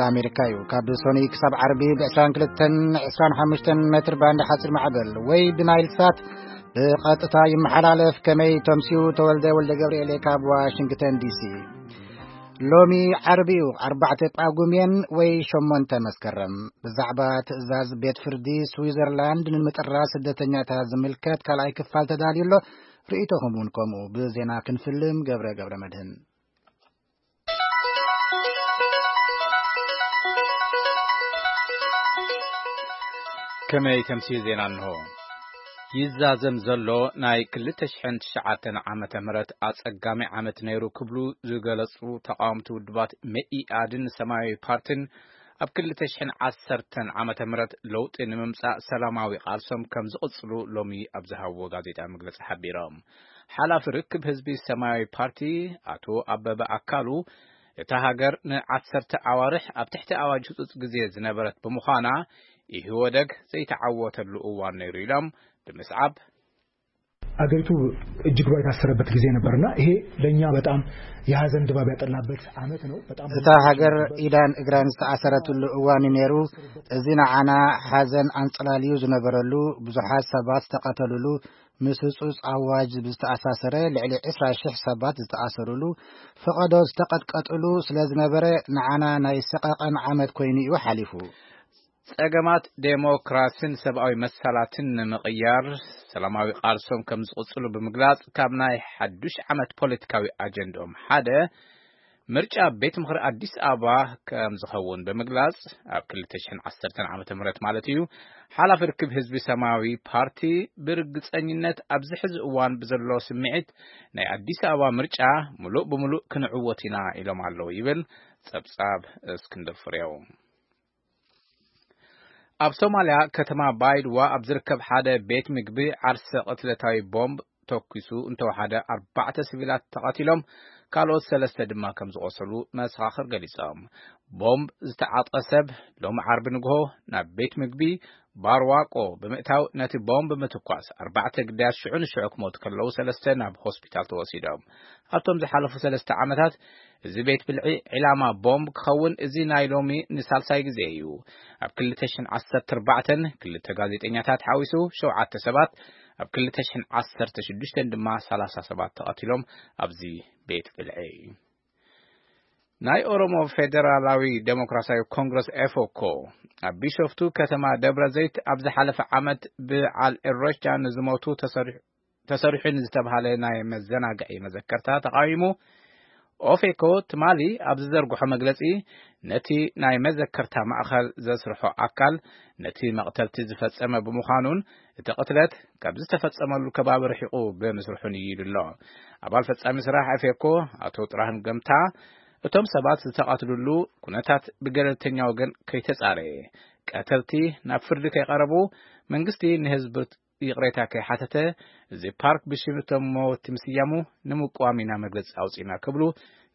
ኣሜሪካ እዩ። ካብ ሶኒ ክሳብ ዓርቢ ብ22 25 ሜትር ባንድ ሓፂር ማዕበል ወይ ብናይል ሳት ብቐጥታ ይመሓላለፍ። ከመይ ተምስዩ? ተወልደ ወልደ ገብርኤል ካብ ዋሽንግተን ዲሲ። ሎሚ ዓርቢ እዩ፣ ኣርባዕተ ጳጉሜን ወይ ሸሞንተ መስከረም። ብዛዕባ ትእዛዝ ቤት ፍርዲ ስዊዘርላንድ ንምጥራዝ ስደተኛታት ዝምልከት ካልኣይ ክፋል ተዳልዩ ኣሎ። ርእይቶኹም እውን ከምኡ። ብዜና ክንፍልም ገብረ ገብረ መድህን። ከመይ ተምስዩ ዜና እንሆ። ይዛዘም ዘሎ ናይ ክልተ ሽሕን ትሽዓተን ዓመተ ምህረት ኣጸጋሚ ዓመት ነይሩ ክብሉ ዝገለጹ ተቃወምቲ ውድባት መኢኣድን ሰማያዊ ፓርቲን ኣብ ክልተ ሽሕን ዓሰርተን ዓመተ ምህረት ለውጢ ንምምጻእ ሰላማዊ ቃልሶም ከም ዝቕጽሉ ሎሚ ኣብ ዝሃብዎ ጋዜጣ መግለጺ ሓቢሮም። ሓላፊ ርክብ ህዝቢ ሰማያዊ ፓርቲ ኣቶ ኣበበ ኣካሉ፣ እታ ሃገር ንዓሰርተ ኣዋርሕ ኣብ ትሕቲ ኣዋጅ ህጹጽ ግዜ ዝነበረት ብምዃና፣ ኢህወደግ ዘይተዓወተሉ እዋን ነይሩ ኢሎም ብምስዓብ፣ አገሪቱ እጅግ ባይታሰረበት ጊዜ ነበርና፣ ይሄ ለእኛ በጣም የሐዘን ድባብ ያጠላበት ዓመት ነው። በጣም እታ ሃገር ኢዳን እግራን ዝተኣሰረትሉ እዋን እዩ ነይሩ። እዚ ንዓና ሓዘን ኣንጸላልዩ ዝነበረሉ፣ ብዙሓት ሰባት ዝተቐተሉሉ፣ ምስ ህጹጽ ኣዋጅ ብዝተኣሳሰረ ልዕሊ ዕስራ ሽሕ ሰባት ዝተኣሰሩሉ፣ ፈቐዶ ዝተቐጥቀጥሉ ስለ ዝነበረ፣ ንዓና ናይ ሰቐቐን ዓመት ኮይኑ እዩ ሓሊፉ። ጸገማት ዴሞክራሲን ሰብኣዊ መሰላትን ንምቕያር ሰላማዊ ቃልሶም ከም ዝቕጽሉ ብምግላጽ፣ ካብ ናይ ሓዱሽ ዓመት ፖለቲካዊ ኣጀንድኦም ሓደ ምርጫ ቤት ምኽሪ ኣዲስ ኣበባ ከም ዝኸውን ብምግላጽ፣ ኣብ ክልተ ሽሕን ዓሰርተን ዓመተ ምህረት ማለት እዩ፣ ሓላፊ ርክብ ህዝቢ ሰማያዊ ፓርቲ፣ ብርግጸኝነት ኣብዚ ሕዚ እዋን ብዘሎ ስምዒት ናይ ኣዲስ ኣበባ ምርጫ ምሉእ ብምሉእ ክንዕወት ኢና ኢሎም ኣለዉ ይብል ጸብጻብ እስክንድር ፍሬው። ኣብ ሶማልያ ከተማ ባይድዋ ኣብ ዝርከብ ሓደ ቤት ምግቢ ዓርሰ ቅትለታዊ ቦምብ ተኩሱ እንተወሓደ ኣርባዕተ ሲቪላት ተቐቲሎም፣ ካልኦት ሰለስተ ድማ ከም ዝቖሰሉ መሰኻኽር ገሊጾም። ቦምብ ዝተዓጥቀ ሰብ ሎሚ ዓርቢ ንግሆ ናብ ቤት ምግቢ ባርዋቆ ብምእታው ነቲ ቦምብ ብምትኳስ ኣርባዕተ ግዳያት ሽዑ ንሽዑ ክሞቱ ከለዉ ሰለስተ ናብ ሆስፒታል ተወሲዶም። ኣብቶም ዝሓለፉ ሰለስተ ዓመታት እዚ ቤት ብልዒ ዒላማ ቦምብ ክኸውን እዚ ናይ ሎሚ ንሳልሳይ ግዜ እዩ። ኣብ ክልተ ሽሕን ዓሰርተ ኣርባዕተን ክልተ ጋዜጠኛታት ሓዊሱ ሸውዓተ ሰባት፣ ኣብ ክልተ ሽሕን ዓሰርተ ሽዱሽተን ድማ ሰላሳ ሰባት ተቐቲሎም ኣብዚ ቤት ብልዒ። ናይ ኦሮሞ ፌደራላዊ ዴሞክራሲያዊ ኮንግረስ ኤፎኮ ኣብ ቢሾፍቱ ከተማ ደብረ ዘይት ኣብ ዝሓለፈ ዓመት በዓል ኢሬቻ ንዝሞቱ ተሰሪሑ ተሰሪሑ ንዝተባሃለ ናይ መዘናግዒ መዘከርታ ተቓዊሙ። ኦፌኮ ትማሊ ኣብ ዝዘርግሖ መግለጺ፣ ነቲ ናይ መዘከርታ ማእኸል ዘስርሖ ኣካል ነቲ መቕተልቲ ዝፈጸመ ብምዃኑን እቲ ቅትለት ካብ ዝተፈጸመሉ ከባቢ ርሒቑ ብምስርሑን እዩ ኢሉ ኣሎ። ኣባል ፈጻሚ ስራሕ ኦፌኮ ኣቶ ጥራህን ገምታ፣ እቶም ሰባት ዝተቐትሉሉ ኩነታት ብገለልተኛ ወገን ከይተጻረየ፣ ቀተልቲ ናብ ፍርዲ ከይቐረቡ መንግስቲ ንህዝቢ ይቕሬታ ከይሓተተ፣ እዚ ፓርክ ብሽም እቶም መወቲ ምስያሙ ንምቅዋም ኢና መግለጺ ኣውጺእና ክብሉ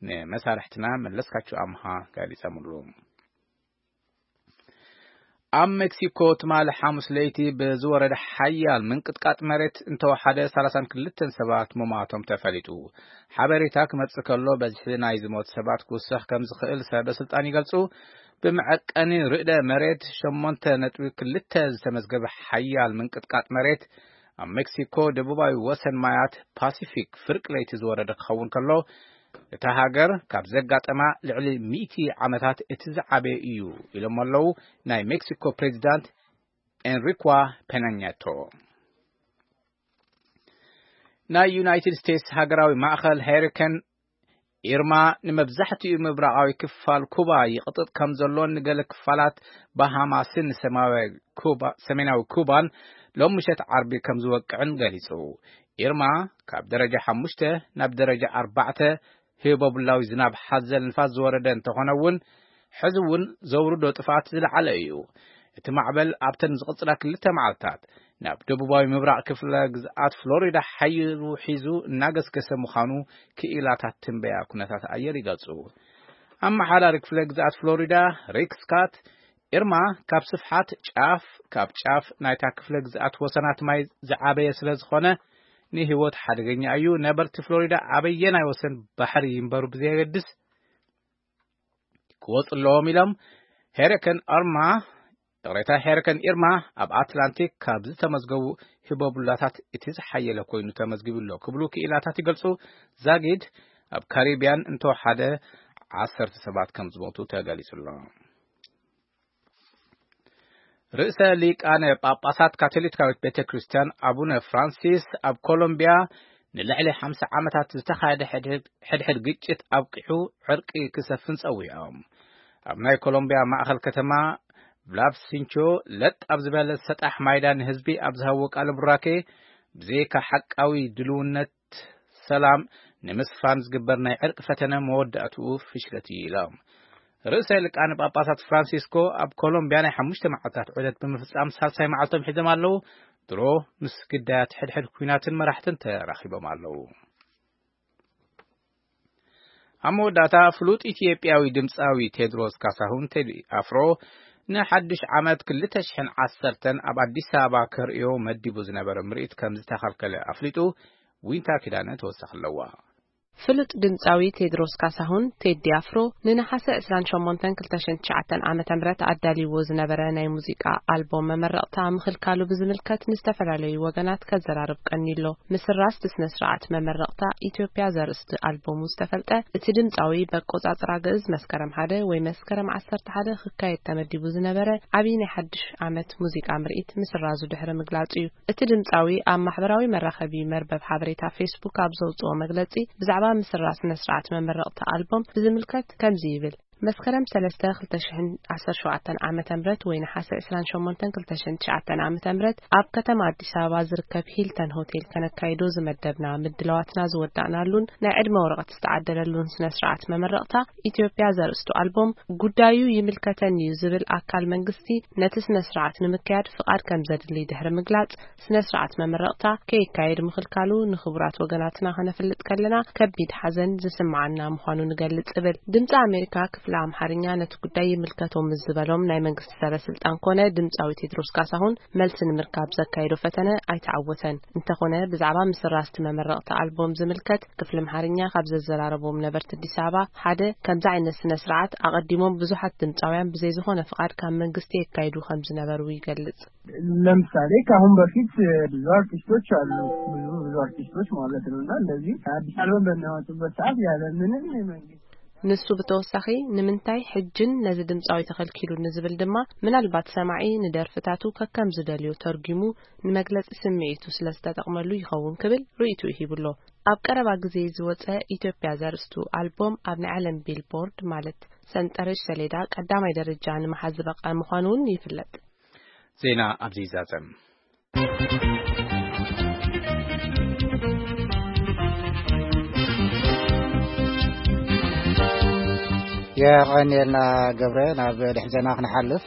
ንመሳርሕትና መለስካቸው ኣምሃ ገሊጸምሉ። ኣብ ሜክሲኮ ትማሊ ሓሙስ ለይቲ ብዝወረደ ሓያል ምንቅጥቃጥ መሬት እንተወሓደ ሰላሳን ክልተን ሰባት ምሟቶም ተፈሊጡ። ሓበሬታ ክመጽእ ከሎ በዝሒ ናይ ዝሞት ሰባት ክውሰኽ ከም ዝኽእል ሰበ ስልጣን ይገልጹ። ብመዐቀኒ ርዕደ መሬት ሸሞንተ ነጥቢ ክልተ ዝተመዝገበ ሓያል ምንቅጥቃጥ መሬት ኣብ ሜክሲኮ ደቡባዊ ወሰን ማያት ፓሲፊክ ፍርቂ ለይቲ ዝወረደ ክኸውን ከሎ፣ እታ ሃገር ካብ ዘጋጠማ ልዕሊ ሚእቲ ዓመታት እቲ ዝዓበየ እዩ ኢሎም ኣለዉ ናይ ሜክሲኮ ፕሬዚዳንት ኤንሪኳ ፔናኛቶ። ናይ ዩናይትድ ስቴትስ ሃገራዊ ማእኸል ሄሪከን ኢርማ ንመብዛሕትኡ ምብራቓዊ ክፋል ኩባ ይቕጥጥ ከም ዘሎን ንገለ ክፋላት ባሃማስን ሰማያዊ ኩባ-፣ ሰሜናዊ ኩባን ሎም ምሸት ዓርቢ ከም ዝወቅዕን ገሊጹ። ኢርማ ካብ ደረጃ ሓሙሽተ ናብ ደረጃ ኣርባዕተ ህቦብላዊ ዝናብ ሓዘል ንፋስ ዝወረደ እንተኾነ እውን፣ ሕዚ እውን ዘውርዶ ጥፍኣት ዝለዓለ እዩ። እቲ ማዕበል ኣብተን ዝቕጽላ ክልተ መዓልታት ናብ ደቡባዊ ምብራቕ ክፍለ ግዝኣት ፍሎሪዳ ሓይሉ ሒዙ እናገስገሰ ምዃኑ ክኢላታት ትንበያ ኩነታት ኣየር ይገልጹ። ኣመሓዳሪ ክፍለ ግዝኣት ፍሎሪዳ ሪክ ስካት፣ ኢርማ ካብ ስፍሓት ጫፍ ካብ ጫፍ ናይታ ክፍለ ግዝኣት ወሰናት ማይ ዝዓበየ ስለ ዝኾነ፣ ንህይወት ሓደገኛ እዩ። ነበርቲ ፍሎሪዳ ኣበየናይ ወሰን ባሕሪ ይንበሩ ብዘየገድስ፣ ክወጹ ኣለዎም ኢሎም። ሄሪከን ኣርማ፣ ይቕሬታ፣ ሄሪከን ኢርማ ኣብ ኣትላንቲክ ካብ ዝተመዝገቡ ህቦብላታት እቲ ዝሓየለ ኮይኑ ተመዝጊቡ ኣሎ ክብሉ ክኢላታት ይገልጹ። ዛጊድ ኣብ ካሪቢያን እንተወሓደ ዓሰርተ ሰባት ከም ዝሞቱ ተገሊጹ ኣሎ። ርእሰ ሊቃነ ጳጳሳት ካቶሊካዊት ቤተ ክርስቲያን ኣቡነ ፍራንሲስ ኣብ ኮሎምቢያ ንልዕሊ ሓምሳ ዓመታት ዝተኻየደ ሕድሕድ፣ ሕድሕድ ግጭት ኣብቂሑ ዕርቂ ክሰፍን ጸዊዖም። ኣብ ናይ ኮሎምቢያ ማእኸል ከተማ ቭላቭሲንቾ ለጥ ኣብ ዝበለ ሰጣሕ ማይዳ ንህዝቢ ኣብ ዝሃብዎ ቃለ ቡራኬ፣ ብዘይካ ሓቃዊ ድልውነት ሰላም ንምስፋን ዝግበር ናይ ዕርቂ ፈተነ መወዳእትኡ ፍሽለት እዩ ኢሎም። ርእሰ ሊቃነ ጳጳሳት ፍራንሲስኮ ኣብ ኮሎምቢያ ናይ ሓሙሽተ መዓልታት ዑደት ብምፍጻም ሳልሳይ መዓልቶም ሒዞም ኣለዉ። ድሮ ምስ ግዳያት ሕድሕድ ኲናትን መራሕትን ተራኺቦም ኣለዉ። ኣብ መወዳእታ ፍሉጥ ኢትዮጵያዊ ድምፃዊ ቴድሮስ ካሳሁን ቴዲ ኣፍሮ ንሓድሽ ዓመት ክልተ ሽሕን ዓሰርተን ኣብ ኣዲስ ኣበባ ከርእዮ መዲቡ ዝነበረ ምርኢት ከም ዝተኸልከለ ኣፍሊጡ። ዊንታ ኪዳነ ተወሳኺ ኣለዋ። ፍሉጥ ድምፃዊ ቴድሮስ ካሳሁን ቴዲ ኣፍሮ ንነሓሰ ዕስራን ሸሞንተን ክልተ ሽሕን ትሽዓተን ዓመተ ምህረት ኣዳልይዎ ዝነበረ ናይ ሙዚቃ ኣልቦም መመረቕታ ምኽልካሉ ብዝምልከት ንዝተፈላለዩ ወገናት ከዘራርብ ቀኒሎ። ምስራስ እቲ ስነ ስርዓት መመረቕታ ኢትዮጵያ ዘርእስቲ ኣልቦሙ ዝተፈልጠ እቲ ድምፃዊ፣ በቆጻጽራ ግእዝ መስከረም ሓደ ወይ መስከረም ዓሰርተ ሓደ ክካየድ ተመዲቡ ዝነበረ ዓብዪ ናይ ሓድሽ ዓመት ሙዚቃ ምርኢት ምስራዙ ድሕሪ ምግላጹ እዩ። እቲ ድምፃዊ ኣብ ማሕበራዊ መራኸቢ መርበብ ሓበሬታ ፌስቡክ ኣብ ዘውፅኦ መግለፂ፣ ብዛዕባ ምስራዝ ስነ ስርዓት መመረቕታ ኣልቦም ብዝምልከት ከምዚ ይብል። መስከረም ሰለስተ ክልተ ሽሕን ዓሰርተ ሸውዓተን ዓመተ ምህረት ወይ ነሓሰ ዕስራን ሸሞንተን ክልተ ሽሕን ትሽዓተን ዓመተ ምህረት ኣብ ከተማ ኣዲስ ኣበባ ዝርከብ ሂልተን ሆቴል ከነካይዶ ዝመደብና ምድላዋትና ዝወዳእናሉን ናይ ዕድመ ወረቐት ዝተዓደለሉን ስነ ስርዓት መመረቕታ ኢትዮጵያ ዘርእስቱ ኣልቦም ጉዳዩ ይምልከተኒ እዩ ዝብል ኣካል መንግስቲ ነቲ ስነ ስርዓት ንምክያድ ፍቓድ ከም ዘድሊ ድሕሪ ምግላጽ፣ ስነ ስርዓት መመረቕታ ከይካየድ ምኽልካሉ ንኽቡራት ወገናትና ከነፍልጥ ከለና ከቢድ ሓዘን ዝስምዓና ምዃኑ ንገልጽ እብል። ድምፂ ኣሜሪካ ክፍሊ ኣምሓርኛ ነቲ ጉዳይ ይምልከቶም ምስ ዝበሎም ናይ መንግስቲ ሰበ ስልጣን ኮነ ድምፃዊ ቴድሮስ ካሳሁን መልሲ ንምርካብ ዘካየዶ ፈተነ ኣይተዓወተን። እንተኾነ ብዛዕባ ምስራዝ እቲ መመረቕቲ ኣልቦም ዝምልከት ክፍሊ ኣምሓርኛ ካብ ዘዘራረቦም ነበርቲ ኣዲስ ኣበባ ሓደ ከምዚ ዓይነት ስነ ስርዓት ኣቐዲሞም ብዙሓት ድምፃውያን ብዘይ ዝኾነ ፍቓድ ካብ መንግስቲ የካይዱ ከም ዝነበሩ ይገልጽ። ለምሳሌ ከአሁን በፊት ብዙ አርቲስቶች አሉ፣ ብዙ ብዙ አርቲስቶች ማለት ነው። እና እንደዚህ አዲስ አልበም በሚያወጡበት ሰዓት ያለ ምንም የመንግስት ንሱ ብተወሳኺ ንምንታይ ሕጅን ነዚ ድምፃዊ ተኸልኪሉ ንዝብል ድማ ምናልባት ሰማዒ ንደርፍታቱ ከከም ዝደልዮ ተርጒሙ ንመግለፂ ስምዒቱ ስለ ዝተጠቕመሉ ይኸውን ክብል ርእይትኡ ሂቡሎ። ኣብ ቀረባ ግዜ ዝወፀ ኢትዮጵያ ዘርእስቱ ኣልቦም ኣብ ናይ ዓለም ቢልቦርድ ማለት ሰንጠረዥ ሰሌዳ ቀዳማይ ደረጃ ንምሓዝ ዝበቕዐ ምዃኑ እውን ይፍለጥ። ዜና ኣብዚ ይዛዘም። የቐንየልና ገብረ። ናብ ድሕሪ ዜና ክንሓልፍ፣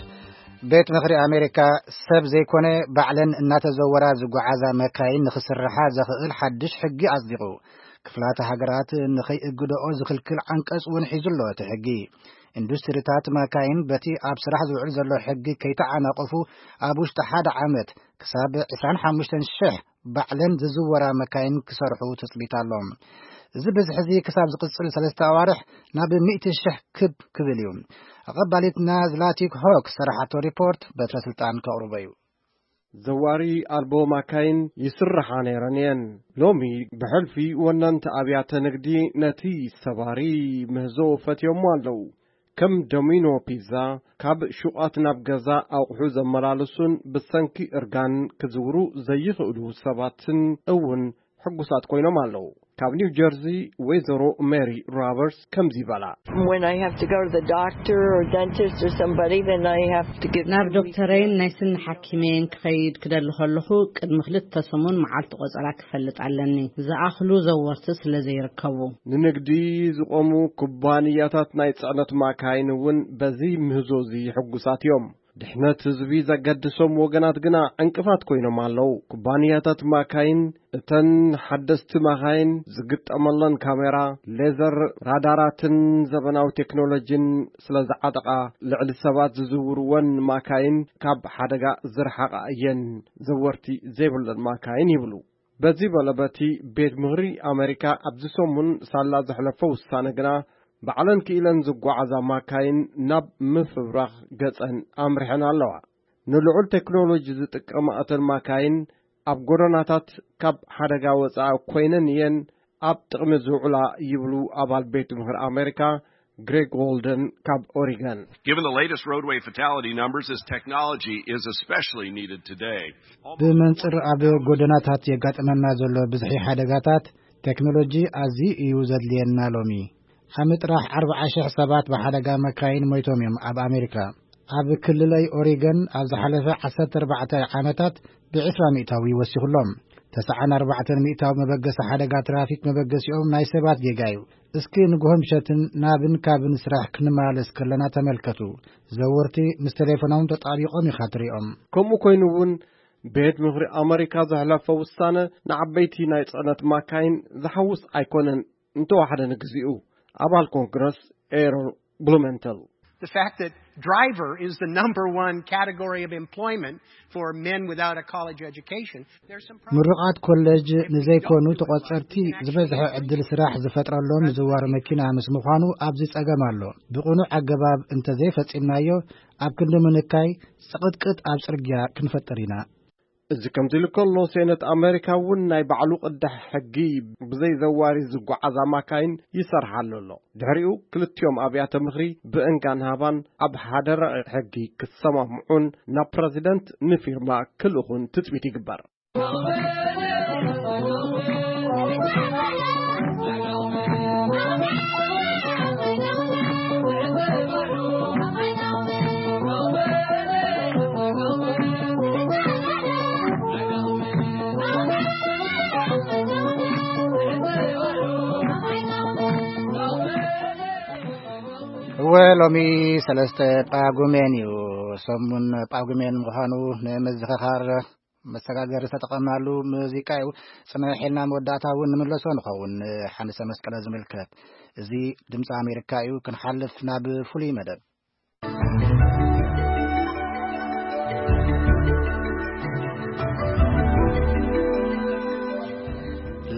ቤት ምኽሪ ኣሜሪካ ሰብ ዘይኮነ ባዕለን እናተዘወራ ዝጓዓዛ መካይን ንኽስርሓ ዘኽእል ሓድሽ ሕጊ ኣጽዲቑ። ክፍላተ ሃገራት ንኸይእግደኦ ዝኽልክል ዓንቀጽ እውን ሒዙ ኣሎ እቲ ሕጊ። ኢንዱስትሪታት መካይን በቲ ኣብ ስራሕ ዝውዕል ዘሎ ሕጊ ከይተዓናቐፉ ኣብ ውሽጢ ሓደ ዓመት ክሳብ ዕስራን ሓሙሽተን ሽሕ ባዕለን ዝዝወራ መካይን ክሰርሑ ትጽቢት ኣሎ። እዚ ብዝሒ እዚ ክሳብ ዝቕጽል ሰለስተ ኣዋርሕ ናብ ሚእቲ ሽሕ ክብ ክብል እዩ። ኣቐባሊትና ዝላቲክ ሆክ ዝሰራሓቶ ሪፖርት በትረ ስልጣን ከቕርቦ እዩ። ዘዋሪ ኣልቦ ማካይን ይስርሓ ነይረን እየን። ሎሚ ብሕልፊ ወነንቲ ኣብያተ ንግዲ ነቲ ሰባሪ ምህዞ ፈትዮሞ ኣለዉ። ከም ዶሚኖ ፒዛ፣ ካብ ሹቓት ናብ ገዛ ኣቑሑ ዘመላልሱን ብሰንኪ እርጋን ክዝውሩ ዘይኽእሉ ሰባትን እውን ሕጉሳት ኮይኖም ኣለዉ። ካብ ኒው ጀርዚ ወይዘሮ ሜሪ ሮበርትስ ከምዚ ይበላ። When I have to go to the doctor or dentist or somebody, then I have to give ናብ them ዶክተረይን ናይ ስኒ ሓኪመይን ክኸይድ ክደሊ ከለኹ፣ ቅድሚ ክልተ ሰሙን መዓልቲ ቆጸራ ክፈልጥ ኣለኒ፣ ዝኣኽሉ ዘወርቲ ስለ ዘይርከቡ። ንንግዲ ዝቖሙ ኩባንያታት ናይ ጽዕነት ማካይን እውን በዚ ምህዞ እዚ ሕጉሳት እዮም። ድሕነት ህዝቢ ዘገድሶም ወገናት ግና ዕንቅፋት ኮይኖም ኣለዉ። ኩባንያታት ማካይን፣ እተን ሓደስቲ ማካይን ዝግጠመለን ካሜራ፣ ሌዘር ራዳራትን ዘበናዊ ቴክኖሎጂን ስለ ዝዓጠቓ፣ ልዕሊ ሰባት ዝዝውርወን ማካይን ካብ ሓደጋ ዝረሓቓ እየን፣ ዘወርቲ ዘይብለን ማካይን ይብሉ። በዚ በለ በቲ ቤት ምኽሪ ኣመሪካ ኣብዚ ሰሙን ሳላ ዘሕለፎ ውሳነ ግና፣ ባዕለን ክኢለን ዝጓዓዛ ማካይን ናብ ምፍብራኽ ገጸን ኣምሪሐን ኣለዋ። ንልዑል ቴክኖሎጂ ዝጥቀማ እተን ማካይን ኣብ ጎደናታት ካብ ሓደጋ ወጻኢ ኮይነን እየን ኣብ ጥቕሚ ዝውዕላ ይብሉ ኣባል ቤት ምኽሪ ኣሜሪካ ግሬግ ዎልደን ካብ ኦሪገን። Given the latest roadway fatality numbers, this technology is especially needed today. ብመንጽር ኣብ ጎደናታት የጋጥመና ዘሎ ብዝሒ ሓደጋታት ቴክኖሎጂ ኣዝዩ እዩ ዘድልየና ሎሚ። ዓሚ ጥራሕ ኣርብዓ ሽሕ ሰባት ብሓደጋ መካይን ሞይቶም እዮም ኣብ ኣሜሪካ። ኣብ ክልለይ ኦሪገን ኣብ ዝሓለፈ ዓሰርተ ኣርባዕተ ዓመታት ብ20 ሚእታዊ ወሲኹሎም። ተስዓን ኣርባዕተን ሚእታዊ መበገሲ ሓደጋ ትራፊክ መበገሲኦም ናይ ሰባት ጌጋ እዩ። እስኪ ንግሆ ምሸትን ናብን ካብን ስራሕ ክንመላለስ ከለና ተመልከቱ። ዘወርቲ ምስ ቴሌፎኖም ተጣቢቖም ኢኻ ትሪኦም። ከምኡ ኮይኑ እውን ቤት ምኽሪ ኣመሪካ ዘሕለፈ ውሳነ ንዓበይቲ ናይ ጽዕነት ማካይን ዝሓውስ ኣይኮነን። እንተወሓደ ንግዚኡ ኣባል ኮንግረስ ኤሮል ብሉመንተል። The fact that driver is the number one category of employment for men without a college education, there's some problems. ምሩቓት ኮሌጅ ንዘይኮኑ ተቖጸርቲ ዝበዝሐ ዕድል ስራሕ ዝፈጥረሎም ምዝዋር መኪና ምስ ምዃኑ ኣብዚ ጸገም ኣሎ። ብቕኑዕ ኣገባብ እንተዘይፈጺምናዮ ኣብ ክንዲ ምንካይ ጽቕጥቅጥ ኣብ ጽርግያ ክንፈጥር ኢና። እዚ ከምዚ ኢሉ ከሎ ሴነት ኣሜሪካ እውን ናይ ባዕሉ ቅዳሕ ሕጊ ብዘይ ዘዋሪ ዝጓዓዛ ማካይን ይሰርሓሉ ኣሎ። ድሕሪኡ ክልቲኦም ኣብያተ ምኽሪ ብእንጋን ሃባን ኣብ ሓደ ረቂቕ ሕጊ ክሰማምዑን ናብ ፕረዚደንት ንፊርማ ክልእኹን ትጽቢት ይግበር። እወ፣ ሎሚ ሰለስተ ጳጉሜን እዩ። ሰሙን ጳጉሜን ምዃኑ ንምዝኽኻር መሰጋገሪ ዝተጠቐምናሉ ሙዚቃ እዩ። ጽንሕ ኢልና መወዳእታ እውን ንምለሶ ንኸውን። ሓንሰ መስቀለ ዝምልከት፣ እዚ ድምፂ ኣሜሪካ እዩ። ክንሓልፍ ናብ ፍሉይ መደብ።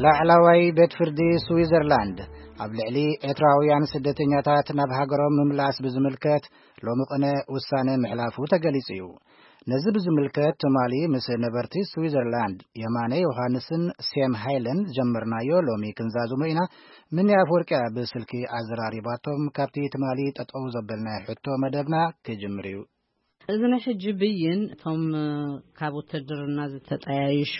ላዕላዋይ ቤት ፍርዲ ስዊዘርላንድ ኣብ ልዕሊ ኤርትራውያን ስደተኛታት ናብ ሃገሮም ምምላስ ብዝምልከት ሎሚ ቅነ ውሳነ ምሕላፉ ተገሊጹ እዩ። ነዚ ብዝምልከት ትማሊ ምስ ነበርቲ ስዊዘርላንድ የማነ ዮሃንስን ሴም ሃይለን ዝጀመርናዮ ሎሚ ክንዛዝሞ ኢና። ምኒ ኣፈወርቅያ ብስልኪ ኣዘራሪባቶም። ካብቲ ትማሊ ጠጠው ዘበልናዮ ሕቶ መደብና ክጅምር እዩ። እዚ ናይ ሕጂ ብይን እቶም ካብ ውትድርና ዝተጠያይሹ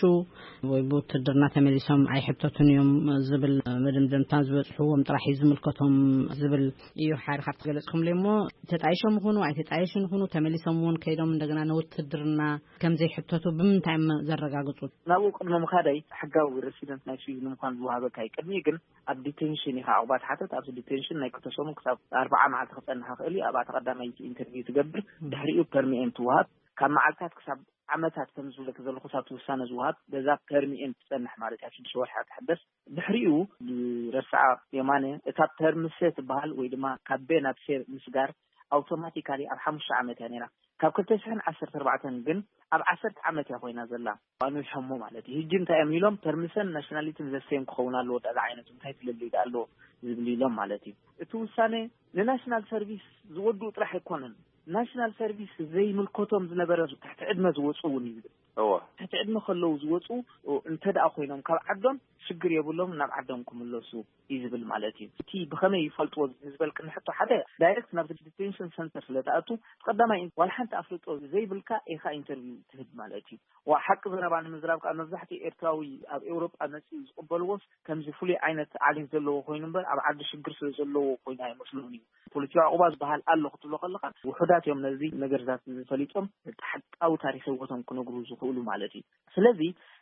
ወይ ብውትድርና ተመሊሶም ኣይሕተቱን እዮም ዝብል መደምደምታ ዝበፅሕዎም ጥራሕ እዩ ዝምልከቶም ዝብል እዩ። ሓደ ካብቲ ገለፅኩምለይ እሞ ተጣይሾም ይኹኑ ኣይተጣየሹን ይኹኑ ተመሊሶም እውን ከይዶም እንደገና ንውትድርና ከም ዘይሕተቱ ብምንታይ እዮም ዘረጋግፁ? ናብኡ ቅድሚ ምኻደይ ሕጋዊ ሬሲደንት ናይ ስዊዝ ንምዃን ዝወሃበካ እዩ። ቅድሚኡ ግን ኣብ ዲቴንሽን ኢኻ ዕቑባ ትሓተት። ኣብዚ ዲቴንሽን ናይ ክልተ ሰሙን ክሳብ ኣርብዓ መዓልቲ ክጸንሕ ይኽእል እዩ። ኣብኣ ተቐዳማይቲ ኢንተርቪው ትገብር። ድሕሪኡ ፐርሚኤን ትወሃብ። ካብ መዓልታት ክሳብ ዓመታት ከም ዝብለኪ ዘለኹ ሳብቲ ውሳነ ዝወሃብ በዛ ፐርሚኤን ትጸንሕ ማለት እያ። ሽዱሽተ ወርሒ ትሕደስ። ድሕሪኡ ብረስዓ የማነ እታ ፐርምሰ ትበሃል ወይ ድማ ካብ ቤ ናብ ሴ ምስጋር ኣውቶማቲካሊ ኣብ ሓሙሽተ ዓመት እያ ነይራ። ካብ ክልተ ሽሕን ዓሰርተ ኣርባዕተን ግን ኣብ ዓሰርተ ዓመት እያ ኮይና ዘላ። ኣንዊሖሞ ማለት እዩ። ሕጂ እንታይ እዮም ኢሎም? ፐርምሰን ናሽናሊትን ዘሰዮም ክኸውን ኣለዎ። ዳኣ ዝዓይነቱ እንታይ ፍልልይ ዳኣ ኣለዎ ዝብል ኢሎም ማለት እዩ። እቲ ውሳነ ንናሽናል ሰርቪስ ዝወድኡ ጥራሕ ኣይኮነን። ናሽናል ሰርቪስ ዘይምልከቶም ዝነበረ ትሕቲ ዕድመ ዝወፁ እውን እዩ ዝብል። እወ። ትሕቲ ዕድመ ከለዉ ዝወፁ እንተ ደኣ ኮይኖም ካብ ዓዶም ሽግር የብሎም፣ ናብ ዓዶም ክምለሱ እዩ ዝብል ማለት እዩ። እቲ ብኸመይ ይፈልጥዎ ንዝበልክኒ ሕቶ፣ ሓደ ዳይሬክት ናብ ዲቴንሽን ሰንተር ስለ ትኣቱ ቀዳማይ ዋላ ሓንቲ ኣፍልጦ ዘይብልካ ኢኻ ኢንተርቪው ትህብ ማለት እዩ። ዋ ሓቂ ዘረባ ንምዝራብ ከኣ መብዛሕትኡ ኤርትራዊ ኣብ ኤውሮጳ መጺኡ ዝቕበልዎስ ከምዚ ፍሉይ ዓይነት ዓሌት ዘለዎ ኮይኑ እምበር ኣብ ዓዲ ሽግር ስለ ዘለዎ ኮይኑ ኣይመስሎን እዩ። ፖለቲካዊ ዕቑባ ዝበሃል ኣሎ ክትብሎ ከለኻ ውሑዳት እዮም ነዚ ነገርታት ፈሊጦም እቲ ሓቃዊ ታሪኽ ህይወቶም ክነግሩ ዝኽእሉ ማለት እዩ። ስለዚ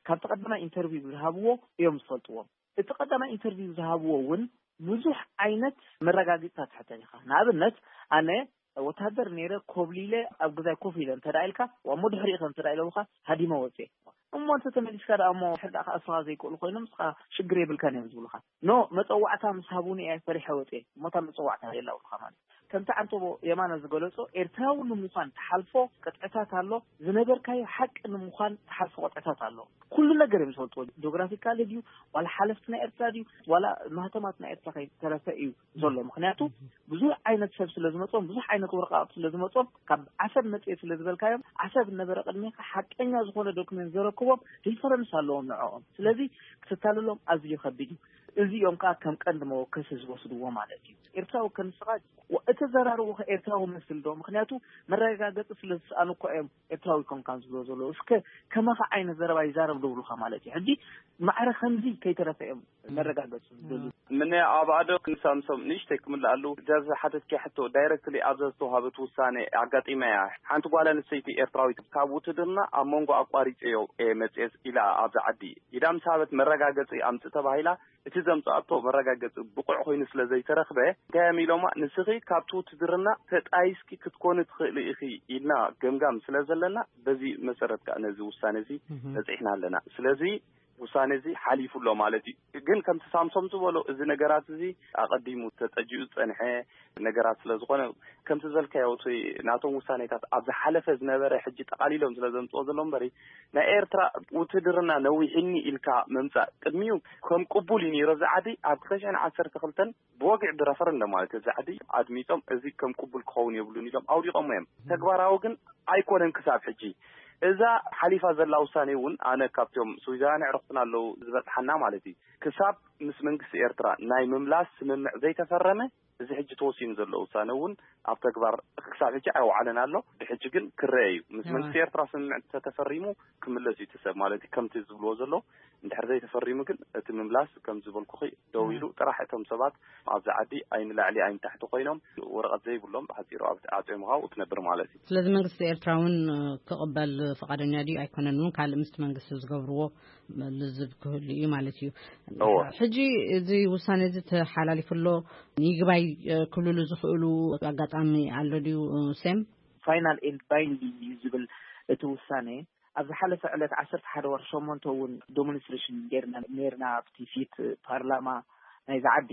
ካብቲ ቀዳማይ ኢንተርቪው ዝሃብዎ እዮም ዝፈልጥዎ። እቲ ቀዳማይ ኢንተርቪው ዝሃብዎ እውን ብዙሕ ዓይነት መረጋገፅታት ትሕተት ኢኻ። ንኣብነት ኣነ ወታደር ነይረ ኮብሊለ ኣብ ገዛይ ኮፍ ኢለ እንተ ደኣ ኢልካ ዋ እሞ ድሕሪኡ ከ እንተ ደኣ ኢለውኻ ሃዲመ ወፅየ። እሞ እንተ ተመሊስካ ደኣ እሞ ድሕሪ ደኣ ክኣስሩኻ ዘይክእሉ ኮይኖም ንስኻ ሽግር የብልካን እዮም ዝብሉኻ። ኖ መፀዋዕታ ምስ ሃቡኒ እየ ፈሪሐ ወፅየ። እሞ እታ መፀዋዕታ የላ ብሉኻ ማለት እዩ። ከምቲ ዓንተቦ የማነ ዝገለጾ፣ ኤርትራዊ ንምዃን ትሓልፎ ቅጥዕታት ኣሎ፣ ዝነበርካዮ ሓቂ ንምዃን ትሓልፎ ቅጥዕታት ኣሎ። ኩሉ ነገር እዮም ዝፈልጥዎ። ጂኦግራፊካሊ ድዩ፣ ዋላ ሓለፍቲ ናይ ኤርትራ ድዩ፣ ዋላ ማህተማት ናይ ኤርትራ ከይተረፈ እዩ ዘሎ። ምኽንያቱ ብዙሕ ዓይነት ሰብ ስለ ዝመጾም፣ ብዙሕ ዓይነት ወረቃቕቲ ስለ ዝመጾም፣ ካብ ዓሰብ መጽኤ ስለ ዝበልካዮም፣ ዓሰብ ዝነበረ ቅድሜኻ ሓቀኛ ዝኾነ ዶክመንት ዘረክቦም ሪፈረንስ ኣለዎም ንዕኦም። ስለዚ ክተታልሎም ኣዝዩ ከቢድ እዩ። እዚኦም ከዓ ከም ቀንዲ መወከሲ ዝወስድዎ ማለት እዩ። ኤርትራዊ ከም ንስኻ እተዘራርቡ ከ ኤርትራዊ መስል ዶ? ምኽንያቱ መረጋገጺ ስለ ዝሰኣኑ እኮ እዮም ኤርትራዊ ኮንካን ዝብሎ ዘለዉ። እስከ ከማኻ ዓይነት ዘረባ ይዛረብ ዶ ብሉኻ ማለት እዩ። ሕጂ ማዕረ ከምዚ ከይተረፈ እዮም መረጋገጺ ዝደልዩ። ምነ ኣብ ኣዶ ክንሳምሶም ንእሽተይ ክምልኣሉ፣ እዛ ዝሓተትኪ ሕቶ ዳይረክትሊ ኣብዛ ዝተዋሃበት ውሳኔ ኣጋጢመ እያ። ሓንቲ ጓል ኣንስተይቲ ኤርትራዊት ካብ ውትድርና ኣብ መንጎ ኣቋሪጸዮ እየ መጽኤ ኢላ ኣብዛ ዓዲ ኢዳ ምስ ሃበት መረጋገጺ ኣምጽእ ተባሂላ፣ እቲ ዘምጽኣቶ መረጋገጺ ብቑዕ ኮይኑ ስለ ዘይተረኽበ፣ እንታይ እዮም ኢሎማ፣ ንስኺ ካብቲ ውትድርና ተጣይስኪ ክትኮኒ ትኽእሊ ኢኺ ኢልና ገምጋም ስለ ዘለና፣ በዚ መሰረት ከኣ ነዚ ውሳነ እዚ በጺሕና ኣለና። ስለዚ ውሳነ እዚ ሓሊፉ ኣሎ ማለት እዩ። ግን ከምቲ ሳምሶም ዝበሎ፣ እዚ ነገራት እዚ ኣቐዲሙ ተጸጂኡ ዝጸንሐ ነገራት ስለ ዝኾነ፣ ከምቲ ዝበልካዮ፣ እቲ ናቶም ውሳኔታት ኣብ ዝሓለፈ ዝነበረ ሕጂ ጠቓሊሎም ስለ ዘምጽኦ ዘሎ እምበሪ፣ ናይ ኤርትራ ውትድርና ነዊሕኒ ኢልካ ምምጻእ ቅድሚኡ ከም ቅቡል እዩ ነይሩ። እዚ ዓዲ ኣብ ክልተ ሽሕን ዓሰርተ ክልተን ብወግዒ ብረፈረንደም ማለት እዩ፣ እዚ ዓዲ ኣድሚጾም፣ እዚ ከም ቅቡል ክኸውን የብሉን ኢሎም ኣውዲቖሞ እዮም። ተግባራዊ ግን ኣይኮነን ክሳብ ሕጂ። እዛ ሓሊፋ ዘላ ውሳኔ እውን፣ ኣነ ካብቶም ስዊዛውያን ኣዕሩኽትና ኣለዉ ዝበጽሓና ማለት እዩ፣ ክሳብ ምስ መንግስቲ ኤርትራ ናይ ምምላስ ስምምዕ ዘይተፈረመ፣ እዚ ሕጂ ተወሲኑ ዘሎ ውሳነ እውን ኣብ ተግባር ክሳብ ሕጂ ኣይወዓለን ኣሎ። ብሕጂ ግን ክረአ እዩ። ምስ መንግስቲ ኤርትራ ስምምዕ እንተተፈሪሙ ክምለስ እዩ እቲ ሰብ ማለት እዩ። ከምቲ ዝብልዎ ዘሎ፣ እንድሕር ዘይተፈሪሙ ግን እቲ ምምላስ ከም ዝበልኩኺ ደው ኢሉ ጥራሕ፣ እቶም ሰባት ኣብዚ ዓዲ ኣይንላዕሊ ኣይንታሕቲ ኮይኖም ወረቐት ዘይብሎም ብሓጺሩ ኣብ ዓጽዮም ካብኡ ትነብር ማለት እዩ። ስለዚ መንግስቲ ኤርትራ እውን ክቕበል ፍቓደኛ ድዩ ኣይኮነን እውን ካልእ ምስቲ መንግስቲ ዝገብርዎ ልዝብ ክህሉ እዩ ማለት እዩ። እወ። ሕጂ እዚ ውሳነ እዚ ተሓላሊፉ ኣሎ፣ ይግባይ ክብልሉ ዝኽእሉ ኣጋጣሚ ኣሎ ድዩ ሴም? ፋይናል ኤንድ ባይንዲንግ እዩ ዝብል እቲ ውሳኔ። ኣብ ዝሓለፈ ዕለት ዓሰርተ ሓደ ወርሒ ሸሞንተ እውን ዴሞንስትሬሽን ጌርና ነርና ኣብቲ ፊት ፓርላማ ናይዚ ዓዲ።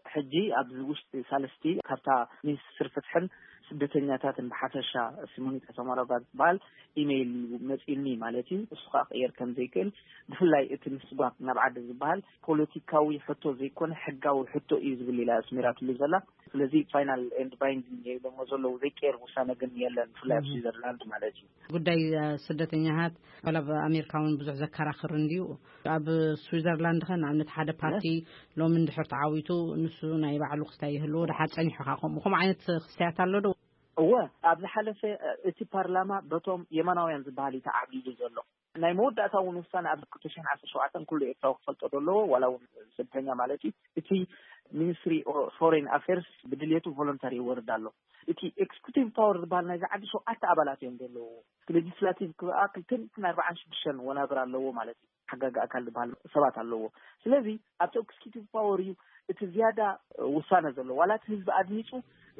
ሕጂ ኣብዚ ውሽጢ ሳልስቲ ካብታ ሚኒስትር ፍትሕን ስደተኛታትን ብሓፈሻ ሲሞኒታ ሰማሮቫ ዝበሃል ኢሜይል እዩ መፂኡኒ ማለት እዩ። እሱ ከዓ ክቅየር ከም ዘይክእል፣ ብፍላይ እቲ ምስጓግ ናብ ዓዲ ዝበሃል ፖለቲካዊ ሕቶ ዘይኮነ ሕጋዊ ሕቶ እዩ ዝብል ኢላ ኣስሚራትሉ ዘላ። ስለዚ ፋይናል ኤንድ ባይንዲንግ ኢሎሞ ዘለዉ ዘይቀየር ውሳነ ግን የለን፣ ብፍላይ ኣብ ስዊዘርላንድ ማለት እዩ። ጉዳይ ስደተኛታት ዋላ ኣብ ኣሜሪካ እውን ብዙሕ ዘከራኽር እንድዩ። ኣብ ስዊዘርላንድ ከ ንኣብነት ሓደ ፓርቲ ሎሚ እንድሕር ተዓዊቱ ንሱ ናይ ባዕሉ ክስታይ ይህልዎ፣ ደሓር ጸኒሑ ከ ከምኡ ከምኡ ዓይነት ክስታያት ኣሎ ዶ? እወ፣ ኣብ ዝሓለፈ እቲ ፓርላማ በቶም የማናውያን ዝበሃል እዩ ተዓብሊሉ ዘሎ። ናይ መወዳእታ እውን ውሳነ ኣብ ክልተ ሽሕን ዓሰርተ ሸውዓተን ኩሉ ኤርትራዊ ክፈልጦ ዶ ኣለዎ፣ ዋላ እውን ስደተኛ ማለት እዩ። እቲ ሚኒስትሪ ፎሬን ኣፌርስ ብድልየቱ ቮለንተሪ ይወርድ ኣሎ። እቲ ኤክስኪዩቲቭ ፓወር ዝበሃል ናይዚ ዓዲ ሸውዓተ ኣባላት እዮም ዘለዉ። እቲ ሌጂስላቲቭ ክበኣ ክልተ ሚእትን ኣርባዓን ሽዱሽተን ወናብር ኣለዎ ማለት እዩ። ሓጋጊ ኣካል ዝበሃል ሰባት ኣለዎ። ስለዚ ኣብቲ ኤክስኪዩቲቭ ፓወር እዩ እቲ ዝያዳ ውሳነ ዘሎ። ዋላ እቲ ህዝቢ ኣድሚፁ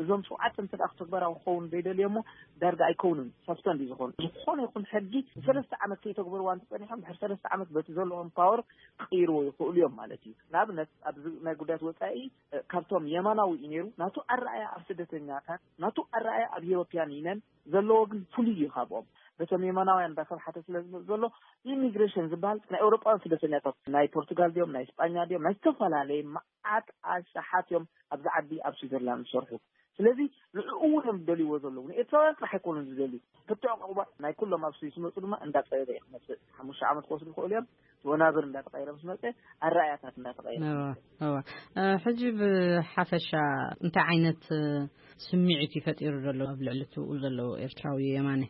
እዞም ሸውዓተ እንተ ደኣ ተግባራዊ ክኸውን ዘይደልዮ እሞ ዳርጋ ኣይከውንን፣ ሰስፐንድ እዩ ዝኾኑ። ዝኾነ ይኹን ሕጊ ንሰለስተ ዓመት ከይተግበርዋ እንተፀኒሖም ድሕሪ ሰለስተ ዓመት በቲ ዘለዎም ፓወር ክቕይርዎ ይኽእሉ እዮም ማለት እዩ። ንኣብነት ኣብዚ ናይ ጉዳያት ወፃኢ እ፣ ካብቶም የማናዊ እዩ ነይሩ። ናቱ ኣረኣያ ኣብ ስደተኛታት፣ ናቱ ኣረኣያ ኣብ ዩሮፒያን ዩኒየን ዘለዎ ግን ፍሉይ እዩ ካብኦም። በቶም የማናውያን እንዳተባሓተ ስለ ዝመፅ ዘሎ ኢሚግሬሽን ዝበሃል ናይ ኤውሮጳውያን ስደተኛታት ናይ ፖርቱጋል ድዮም ናይ ስጳኛ ድዮም ናይ ዝተፈላለየ መዓት ኣሻሓት እዮም ኣብዚ ዓዲ ኣብ ስዊዘርላንድ ዝሰርሑ። ስለዚ ንዕኡ እውን እዮም ዝደልይዎ ዘለዉ። ንኤርትራውያን ጥራሕ ኣይኮኑን ዝደልዩ። ሕቶ ዕቁባ ናይ ኩሎም ኣብ ስዊስ ዝመፁ ድማ እንዳፀበበ እዩ ክመፅእ። ሓሙሽተ ዓመት ክወስዱ ይኽእሉ እዮም። እቲ ወናብር እንዳተቐየረ ምስ መፀ ኣረኣያታት እንዳተቐየረ እወ፣ እወ። እ፣ ሕጂ ብሓፈሻ እንታይ ዓይነት እ፣ ስምዒት እዩ ፈጢሩ ዘሎ ኣብ ልዕሊ እቲ ዘለዉ ኤርትራዊ የማነ?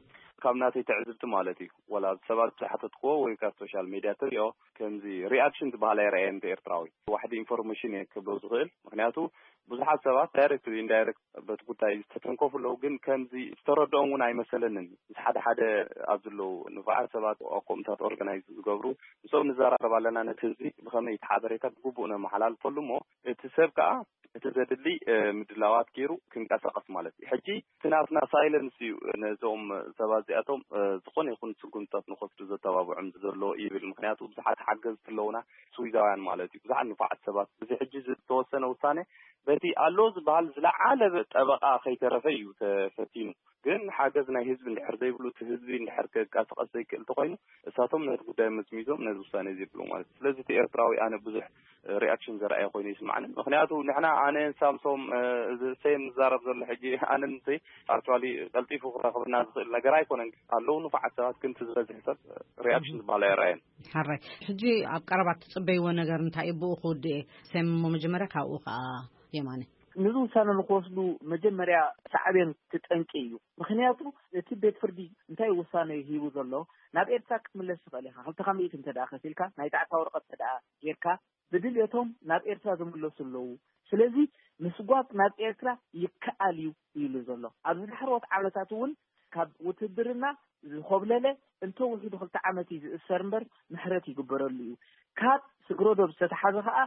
ካብ ናተይ ትዕዝብቲ ማለት እዩ፣ ወላ ሰባት ዝሓተትክዎ ወይ ካብ ሶሻል ሜድያ ትሪኦ፣ ከምዚ ሪኣክሽን ዝበሃል ኣይረኣየን እቲ ኤርትራዊ። ዋሕዲ ኢንፎርሜሽን እየ ክብሎ ዝኽእል። ምኽንያቱ ብዙሓት ሰባት ዳይሬክት ኢንዳይሬክት በቲ ጉዳይ ዝተተንከፉ ኣለዉ፣ ግን ከምዚ ዝተረድኦም እውን ኣይመሰለንን። ምስ ሓደ ሓደ ኣብ ዘለዉ ንፉዓት ሰባት ኣኮምታት ኦርጋናይዝ ዝገብሩ፣ ምስኦም ንዘራረብ ኣለና፣ ነቲ ህዝቢ ብኸመይ እቲ ሓበሬታ ብግቡእ ነመሓላልፈሉ እሞ እቲ ሰብ ከኣ እቲ ዘድሊ እ፣ ምድላዋት ገይሩ ክንቀሳቐስ ማለት እዩ። ሕጂ እቲ ናትና ሳይለንስ እዩ ነዞም ሰባት እዚኣቶም እ፣ ዝኾነ ይኹን ስጉምትታት ንኸስዱ ዘተባብዖም ዘሎ ይብል። ምኽንያቱ ብዙሓት ሓገዝቲ ኣለዉና፣ ስዊዛውያን ማለት እዩ፣ ብዙሓት ንፉዓት ሰባት። እዚ ሕጂ ዝተወሰነ ውሳነ በቲ ኣሎ ዝበሃል ዝለዓለ ጠበቓ ከይተረፈ እዩ ተፈቲኑ። ግን ሓገዝ ናይ ህዝቢ እንድሕር ዘይብሉ፣ እቲ ህዝቢ እንድሕር ከንቀሳቐስ ዘይክእል እንተኾይኑ፣ እሳቶም ነቲ ጉዳይ መዝሚዞም ነዚ ውሳነ እዚ የብሉ ማለት እዩ። ስለዚ እቲ ኤርትራዊ ኣነ ብዙሕ ሪኣክሽን ዘርኣየ ኮይኑ ይስምዓኒ። ምኽንያቱ ንሕና ኣነን ሳምሶም፣ እ፣ እዚ ሴም ዝዛረብ ዘሎ ሕጂ ኣነን ሲ ኣክቹዋሊ ቀልጢፉ ክረኽበና ዝኽእል ነገር ኣይኮነን። ኣለዉ ንፉዓት ሰባት፣ ግን እቲ ዝበዝሕ ሰብ ሪኣክሽን ዝበሃል ኣይረኣየን። ሓራይ። ሕጂ ኣብ ቀረባ ትጽበይዎ ነገር እንታይ እዩ? ብኡ ክውድእ እየ። ሴም እሞ መጀመርያ ካብኡ ከኣ የማነ። ነዚ ውሳነ ንክወስዱ መጀመርያ ሳዕቤን እቲ ጠንቂ እዩ። ምኽንያቱ እቲ ቤት ፍርዲ እንታይ ውሳነ ሂቡ ዘሎ፣ ናብ ኤርትራ ክትምለስ ትኽእል ኢኻ፣ ክልተ ካብ ሚእቲ እንተ ደኣ ከፊልካ፣ ናይ ጣዕሳ ወረቐት እንተ ደኣ ጌርካ፣ ብድልየቶም ናብ ኤርትራ ዝምለሱ ኣለዉ። ስለዚ ምስጓግ ናብ ኤርትራ ይከኣል እዩ ኢሉ ዘሎ። ኣብዚ ዳሕረዎት ዓመታት እውን ካብ ውትድርና ዝኾብለለ እንተ ውሒዱ ክልተ ዓመት እዩ ዝእሰር እምበር ምሕረት ይግበረሉ እዩ። ካብ ስግረዶብ ዝተተሓዘ ከኣ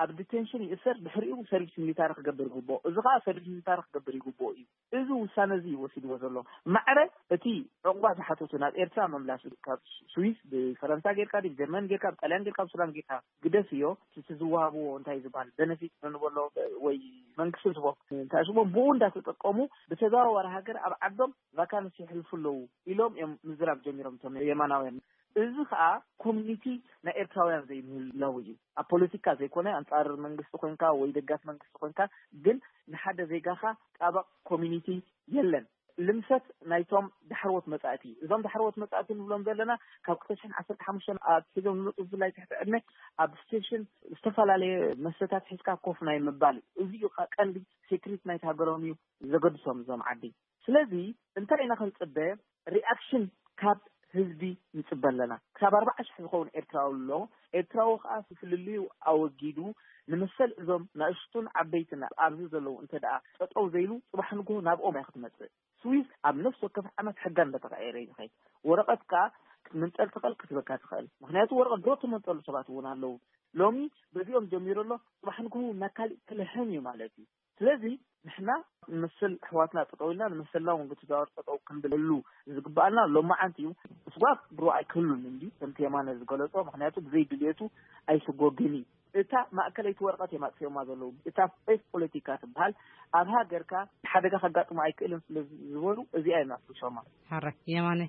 ኣብ ዲቴንሽን ይእሰር፣ ድሕሪኡ ሰርቪስ ሚሊታሪ ክገብር ይግብኦ። እዚ ከኣ ሰርቪስ ሚሊታሪ ክገብር ይግብኦ እዩ። እዚ ውሳነ እዚ እዩ ወሲድዎ ዘሎ። ማዕረ እቲ ዕቑባ ዝሓተቱ ናብ ኤርትራ ምምላስ ካብ ስዊስ ብፈረንሳ ጌርካ ድዩ፣ ብጀርመን ጌርካ፣ ብጣልያን ጌርካ፣ ብሱዳን ጌርካ ግደፍ እዮ። እቲ ዝወሃብዎ እንታይ ዝበሃል ቤነፊት ንበሎ ወይ መንግስቲ ዝቦ እንታይ ሽሞም ብኡ እንዳተጠቀሙ ብተዘዋዋሪ ሃገር ኣብ ዓዶም ቫካንስ የሕልፉ ኣለዉ ኢሎም እዮም ምዝራብ ጀሚሮም እቶም የማናውያን። እዚ ኸኣ ኮሚኒቲ ናይ ኤርትራውያን ዘይምህላው እዩ። ኣብ ፖለቲካ ዘይኮነ፣ ኣንጻር መንግስቲ ኮንካ ወይ ደጋፍ መንግስቲ ኮንካ፣ ግን ንሓደ ዜጋኻ ጣበቕ ኮሚኒቲ የለን። ልምሰት ናይቶም ዳሕረዎት መጻእቲ፣ እዞም ዳሕረዎት መጻእቲ ንብሎም ዘለና ካብ ክልተ ሽሕን ዓሰርተ ሓሙሽተን ኣትሒዞም ዝመጹ፣ ብፍላይ ትሕቲ ዕድመ ኣብ ስቴሽን ዝተፈላለየ መስተታት ሒዝካ ኮፍ ናይ ምባል፣ እዚ እዩ ኸ ቀንዲ ሴክሪት ናይቲ ሃገሮም እዩ ዘገድሶም እዞም ዓዲ። ስለዚ እንታይ ኢና ክንጽበ? ሪኣክሽን ካብ ህዝቢ ንጽበ ኣለና። ክሳብ ኣርባዓ ሽሕ ዝኸውን ኤርትራዊ ኣሎ። ኤርትራዊ ከኣ ፍልልዩ ኣወጊዱ ንመሰል እዞም ንኣሽቱን ዓበይትን ኣብዚ ዘለዉ እንተ ደኣ ጠጠው ዘይሉ፣ ጽባሕ ንግሆ ናብኦም እያ ክትመጽእ። ስዊስ ኣብ ነፍሲ ወከፍ ዓመት ሕጋ እንዳተቐየረ እዩ ዝኸይድ። ወረቐት ከኣ ክትምንጠል ትኽእል፣ ክትበካ ትኽእል። ምኽንያቱ ወረቐት ድሮ ትመንጠሉ ሰባት እውን ኣለዉ። ሎሚ በዚኦም ጀሚሩ ኣሎ፣ ጽባሕ ንግሆ ናብ ካሊእ ክልሕም እዩ ማለት እዩ። ስለዚ ንሕና ንመሰል ኣሕዋትና ጠጠው ኢልና ንመሰልና እውን ብተዘዋዋሪ ጠጠው ክንብለሉ ዝግባኣና ሎማዓንቲ እዩ። ምስጓግ ድሮ ኣይክህሉን እንድዩ ከምቲ የማነ ዝገለጾ፣ ምኽንያቱ ብዘይ ድልየቱ ኣይስጎግን እዩ። እታ ማእከለይቲ ወረቐት እዮም ኣጥፊኦማ ዘለዉ። እታ ፌክ ፖለቲካ ትበሃል ኣብ ሃገርካ ሓደጋ ከጋጥሞ ኣይክእልን ስለ ዝበሉ እዚኣ እዮም ኣፍሪሶማ። ሓራይ የማነ።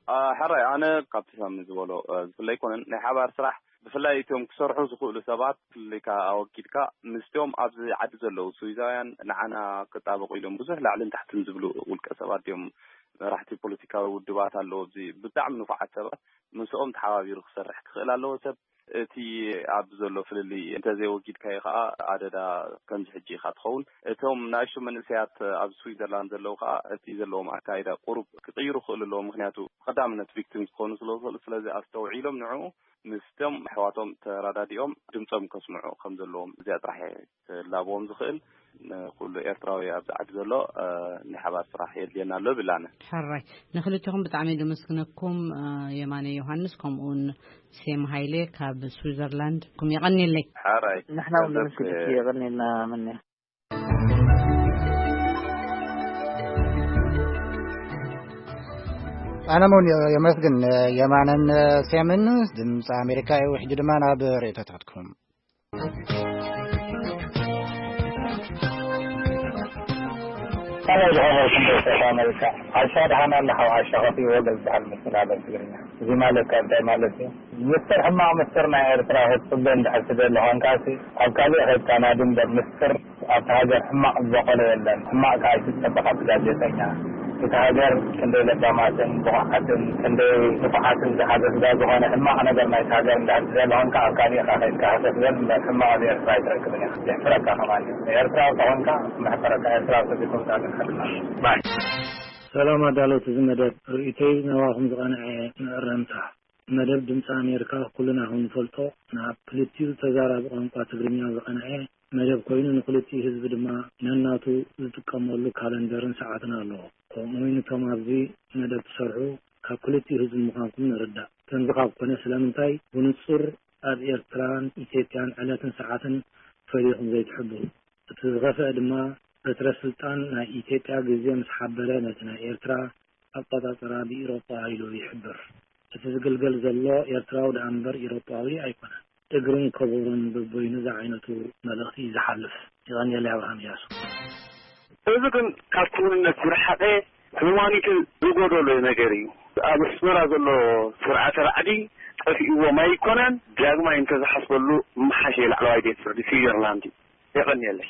አ፣ ሕራይ፣ ኣነ ካብቲ ሳሚ ዝበሎ፣ እ፣ ዝፍለ ኣይኮነን። ናይ ሓባር ስራሕ፣ ብፍላይ እቶም ክሰርሑ ዝኽእሉ ሰባት ፍልልይካ ኣወጊድካ፣ ምስቶም ኣብዚ ዓዲ ዘለዉ ስዊዛውያን ንዓና ክጣበቑ ኢሎም ብዙሕ ላዕልን ታሕትን ዝብሉ ውልቀ ሰባት እዮም። መራሕቲ ፖለቲካዊ ውድባት ኣለዉ ኣብዚ ብጣዕሚ ንፉዓት ሰባት፣ ምስኦም ተሓባቢሩ ክሰርሕ ክኽእል ኣለዎ ሰብ። እቲ ኣብዚ ዘሎ ፍልልይ እንተዘይወጊድካዮ ከኣ ኣደዳ ከምዚ ሕጂ ኢኻ ትኸውን። እቶም ንኣሽቱ መንእሰያት ኣብ ስዊዘርላንድ ዘለዉ ከኣ እቲ ዘለዎም ኣካይዳ ቁሩብ ክቕይሩ ክኽእሉ ኣለዎም። ምኽንያቱ ቀዳምነት ቪክቲምስ ክኾኑ ስለ ዝኽእሉ፣ ስለዚ ኣስተውዒሎም ንዕኡ ምስቶም ኣሕዋቶም ተረዳዲኦም ድምጾም ከስምዑ ከም ዘለዎም እዚኣ ጥራሕ እየ ክላብዎም ዝኽእል። ንኩሉ ኤርትራዊ ኣብዚ ዓዲ ዘሎ፣ እ፣ ናይ ሓባር ስራሕ የድልየና ኣሎ ብላነ። ሕራይ፣ ንክልቲኹም ብጣዕሚ ደመስግነኩም፣ እ፣ የማነ ዮሃንስ ከምኡውን ሴም ሃይለ ካብ ስዊዘርላንድ ኩም የቐንየለይ። ሕራይ። ንሕና እውን ነመስግን። የቐንየልና መን። ኣነ እውን የመስግን የማነን ሴምን። ድምፂ ኣሜሪካ እዩ። ሕጂ ድማ ናብ ርእይቶታትኩም። ከመይ ዝኸበርኩም ቤተሰብ ኣሜሪካ? ዓሻ ደሓን ኣለኻ? ዓሻ ከፊ ወገል ዝበሃል መስተጋብር ትግርኛ። እዚ ማለት ከ እንታይ ማለት እዩ? ምስጢር፣ ሕማቕ ምስጢር ናይ ኤርትራ ክትጽበ እንድሕር ትደሊ ኾንካሲ፣ ኣብ ካልእ ኸይድካ ናዲ እምበር፣ ምስጢር ኣብታ ሃገር ሕማቕ ዝበቆለ የለን። ሕማቕ ከኣ ኣይትጸበ ካብቲ ጋዜጠኛ። እታ ሃገር ክንደይ ለባማትን ብቑዓትን ክንደይ ንፉዓትን ዝሓዘት እዛ ዝኾነ ሕማቕ ነገር ናይታ ሃገር እንድሕር ትደሊ ኾንካ፣ ኣብ ካልእ ኢኻ ኸይድካ ህሰስ በል እምበር፣ ሕማቕ ኣብ ኤርትራ ኣይትረክብን ኢኻ። የሕፍረካ ከማን እዩ። ኤርትራዊ ተኾንካ፣ መሕፈረካ። ኤርትራዊ ተዘይኮንካ ግን ሓድና። ባይ። ሰላም ኣዳለውቲ እዚ መደብ፣ ርእይቶይ ናባኹም ዝቐንዐ መእረምታ። መደብ ድምፂ ኣሜሪካ ኩልና ከም ንፈልጦ ናብ ክልቲኡ ተዛራቢ ቋንቋ ትግርኛ ዝቐንዐ መደብ ኮይኑ፣ ንክልቲኡ ህዝቢ ድማ ነናቱ ዝጥቀመሉ ካለንደርን ሰዓትን ኣለዎ። ከምኡ እውን እቶም ኣብዚ መደብ ትሰርሑ ካብ ክልቲኡ ህዝቢ ምዃንኩም ንርዳእ። ከምዚ ካብ ኮነ ስለምንታይ ብንጹር ኣብ ኤርትራን ኢትዮጵያን ዕለትን ሰዓትን ፈሊኹም ዘይትሕብሩ? እቲ ዝኸፍአ ድማ በትረ ስልጣን ናይ ኢትዮጵያ ግዜ ምስ ሓበረ ነቲ ናይ ኤርትራ ኣቆጻጽራ ብኢሮጳ ኢሉ ይሕብር። እቲ ዝግልገል ዘሎ ኤርትራዊ ደኣ እምበር ኢሮጳዊ ኣይኮነን። እግርን ከበሮን በበይኑ ዝዓይነቱ መልእኽቲ እዩ ዝሓልፍ። ይቐንየለይ ኣብርሃም እያሱ። እዚ ግን ካብ ክውንነት ዝረሓቐ፣ ሁማኒቲ ዝጎደሎ ነገር እዩ። ኣብ ኣስመራ ዘሎ ስርዓተ ራዕዲ ጠፊእዎም ኣይኮነን፣ ዳግማይ እንተዝሓስበሉ ምሓሸ። ላዕለዋይ ቤት ፍርዲ ስዊዘርላንድ እዩ። የቐንየለይ።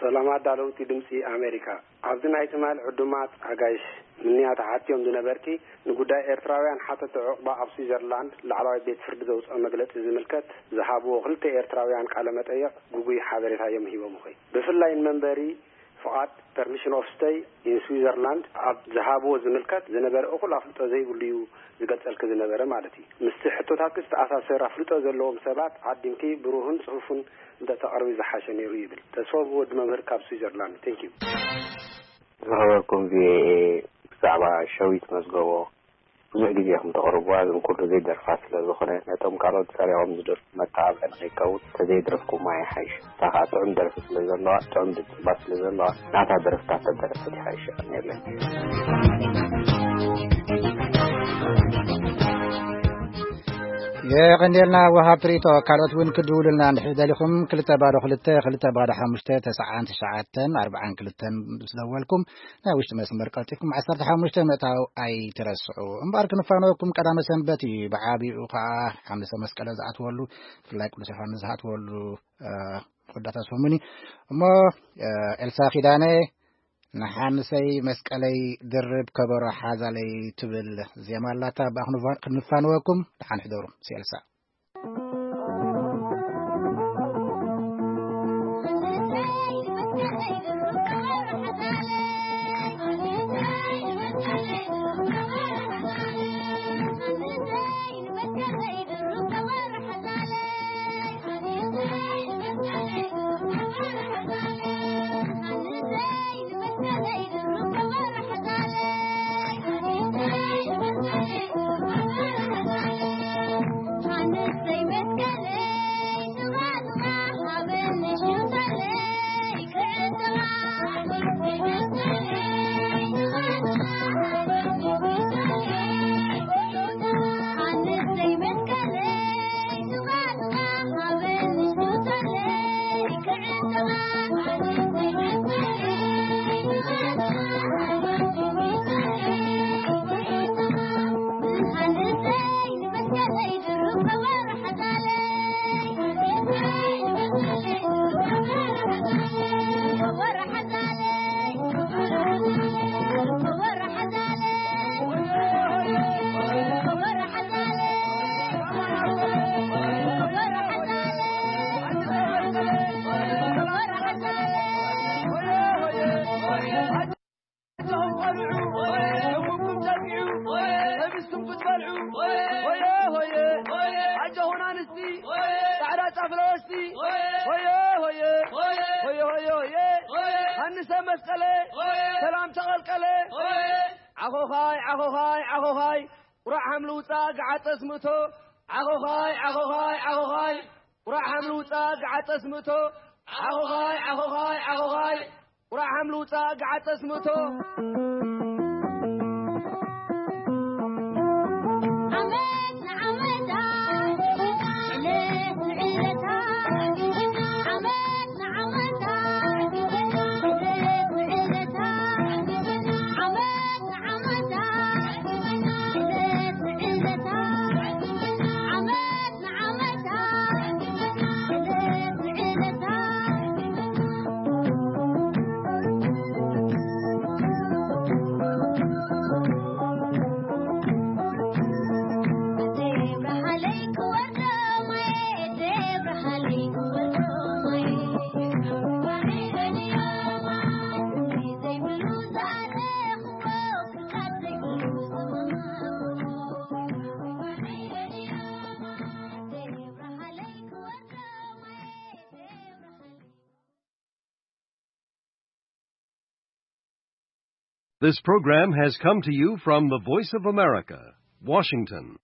ሰላም ኣዳለውቲ ድምፂ ኣሜሪካ። ኣብዚ ናይ ትማል ዕዱማት ኣጋይሽ ምንያ ተሓትዮም ዝነበርቲ፣ ንጉዳይ ኤርትራውያን ሓተቲ ዑቕባ ኣብ ስዊዘርላንድ ላዕለዋይ ቤት ፍርዲ ዘውፅኦ መግለፂ ዝምልከት ዝሃብዎ ክልተ ኤርትራውያን ቃለ መጠየቕ ግጉይ ሓበሬታ እዮም ሂቦም። ኾይ ብፍላይ ንመንበሪ ፍቓድ፣ ፐርሚሽን ኦፍ ስተይ ኢን ስዊዘርላንድ፣ ኣብ ዝሃብዎ ዝምልከት ዝነበረ እኹል ኣፍልጦ ዘይብሉ እዩ ዝገልጸልኪ ዝነበረ ማለት እዩ። ምስቲ ሕቶታትኪ ዝተኣሳሰር ኣፍልጦ ዘለዎም ሰባት ዓዲምኪ ብሩህን ጽፉፍን እንተተቕርቢ ዝሓሸ ነይሩ ይብል። ተስፎ ብወዲ መምህር ካብ ስዊዘርላንድ። ቴንክ ዩ። ዝኸበርኩም ቪኦኤ፣ ብዛዕባ ሸዊት መዝገቦ ብዙሕ ግዜ ከም ተቕርብዋ፣ ግን ኩሉ ዘይደርፋ ስለ ዝኾነ፣ ነቶም ካልኦት ሰሪዖም ዝደርፉ መተባብዒ ንኸይከውን፣ ተዘይደረፍኩማ ይሓይሽ። እታ ኸኣ ጥዑም ደርፊ ስለ ዘለዋ፣ ጥዑም ድምጺ ስለ ዘለዋ፣ ናታ ደርፍታት ተደረፈት ይሓይሽ። የቐንየለይ። የቐንየልና ወሃብ ትርኢቶ። ካልኦት እውን ክድውሉልና እንድሕር ደሊኹም፣ ክልተ ባዶ ክልተ፣ ክልተ ባዶ ሓሙሽተ፣ ተስዓን ትሽዓተን፣ ኣርባዓን ክልተን ምስ ደወልኩም፣ ናይ ውሽጢ መስመር ቀልጢፍኩም ዓሰርተ ሓሙሽተ ምእታው ኣይትረስዑ። እምበኣር ክንፋነወኩም ቀዳመ ሰንበት እዩ። ብዓቢኡ ከኣ ሓምሰ መስቀለ ዝኣትወሉ፣ ብፍላይ ቅዱስ ዮሃንስ ዝኣትወሉ፣ እ፣ ወዳታ ሰሙን እዩ። እሞ፣ እ፣ ኤልሳ ኪዳነ፣ ንሓንሰይ መስቀለይ ድርብ ከበሮ ሓዛለይ ትብል ዜማ ኣላታ። ብኣ ክንፋ-፣ ክንፋነወኩም። ደሓን ሕደሩ። ሲ ኤልሳ። ኣጆኹም ኣንስቲ፣ ጻዕዳ ጫፍ ለበስቲ፣ ሆየ፣ ሆየ፣ ሆየ፣ ሆየ፣ ሆየ። ሃንሰ መስቀለ፣ ሰላም ተቐልቀለ። ዓኾኻይ፣ ዓኾኻይ፣ ዓኾኻይ፣ ቁራዕ ሃም ልውጻእ ገዓጠስ ምእቶ። ዓኾኻይ፣ ዓኾኻይ፣ ዓኾኻይ፣ ቁራዕ ሃም ልውጻእ ገዓጠስ ምእቶ። ዓኾኻይ፣ ዓኾኻይ፣ ዓኾኻይ፣ ቁራዕ ሃም ልውጻእ ገዓጠስ ምእቶ። ዓመት ንዓመታ፣ ዕለት ንዕለታ፣ ዓመት ንዓመታ፣ ዕለት ንዕለታ፣ ዓመት ንዓመታ፣ ዕለት ንዕለታ፣ ዓመት ንዓመታ፣ ዕለት ንዕለታ። This program has come to you from the Voice of America, Washington.